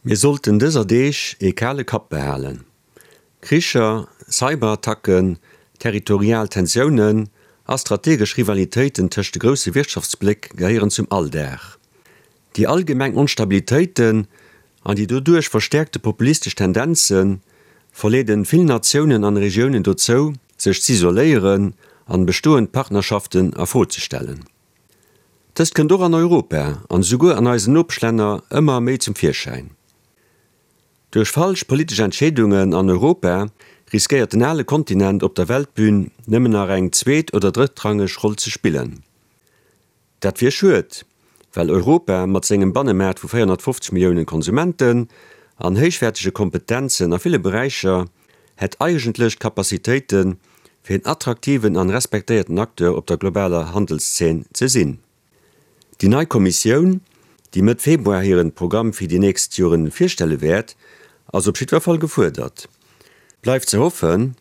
Mir sollten dëser Deeg ee kale Kapp behalen. Kricher, Cyberattacken, territorial Tensiounen a strategesch Rivalitéiten tëscht de grousse Wirtschaftsbléck gehéieren zum Alldag. Déi allgemeng Onstabilitéiten an déi doduerch verstäerkte populistesch Tendenze verleeden vill Natiounen an Regiounen dozou, sech z'isoléieren an bestoend Partnerschaften a Fro ze stellen. Dëst kënnt och an Europa an esouguer an eisen Nopeschlänner ëmmer méi zum Virschäin. Duerch falsch politesch Entscheedungen an Europa riskéiert den ale Kontinent op der Weltbün nëmmen nach eng zweet oder drëttrangeg Roll ze spillen. Dat wier schued, well Europa mat sengem Bannemaart vu 450 Milliounen Konsumenten an héichwäertege Kompetenzen a ville Beräicher hätt eigentlech d'Capacitéiten, fir een attraktiven an respektéierten Acteur op der globaler Handelszeen ze sinn. Déi nei Kommissioun, déi Mëtt Februar hiren Programm fir déi nächst Joren virstelle wäert, ass op jiddwer Fall gefuerdert. Bleift ze hoffen,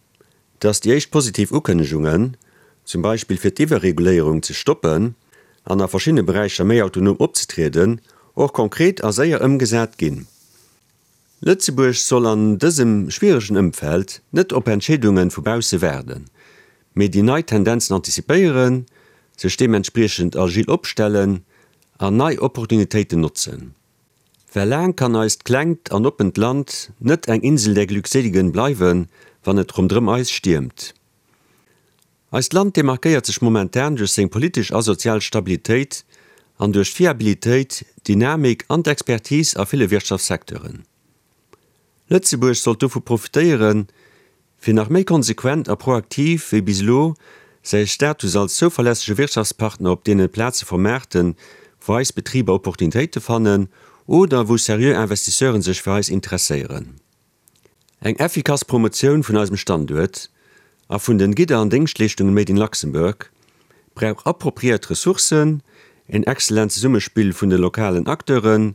dass déi éischt positiv Ukënnegungen, zum Beispill fir d'Iwwerreguléierung ze stoppen an a verschiddene Beräicher méi autonom opzetrieden, och konkret a séier ëmgesat ginn. Lëtzebuerg soll an dësem schwieregen Ëmfeld net op Entscheedunge vu bausse waarden, mee déi nei Tendenzen antizipéieren, sech deementspriechend agil opstellen an nei Opportunitéiten notzen. Well laang kann eist klengt an oppent Land net eng Insel der Glückseligen bleiwen, wann et ronderëm eis stiermt. Eist Land demarkéiert sech momentan duerch seng politesch a sozial Stabilitéit an duerch d'Fiabilitéit, d'Dynamik an d'Expertise a ville Wirtschaftssecteuren. Lëtzebuerg sollt dovu profitéieren, fir nach méi konsequent a proaktiv wéi bis elo säi Status als zouverlässege Wirtschaftspartner op deene Plaze vermaarten, wou eis Betriber Opportunitéite fannen oder wou seriö Investisseuren sech fir eis interesséieren. Eng effikass Promotioun vun eisem Standuert a vun den Gidder an Déngschtleeschtungen made in Luxembourg brauch appropriéiert Ressourcen, een excellent Zesummespill vun de lokalen Acteuren,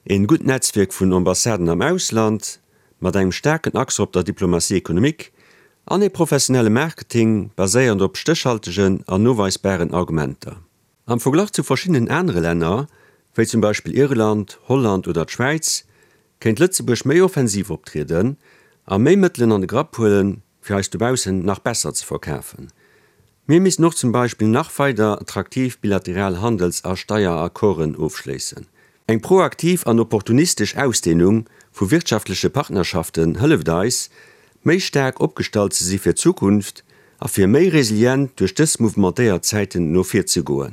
een gutt Netzwierk vun Ambassaden am Ausland mat engem staarken Accent op der Diplomatie économique an ee professionelle Marketing baséierend op stéchhaltegen an noweisbaren Argumenter. Am Verglach zu verschiddenen anere Länner, wéi zum Beispill Irland, Holland oder d'Schwäiz, kéint Lëtzebuerg méi offensiv optrieden a méi Mëttelen an de Grapp huelen, fir eis dobaussen nach besser ze verkafen. Mir missten och zum Beispill nach weider attraktiv bilateral Handels a Steieraccorden ofschléissen. Eng proaktiv an opportunistesch Ausdehnung vu wirtschaftleche Partnerschaften hëlleft eis, méi staark opgestallt ze si fir d'Zukunft a fir méi resilient duerch dës mouvementéiert Zäiten no vir ze goen.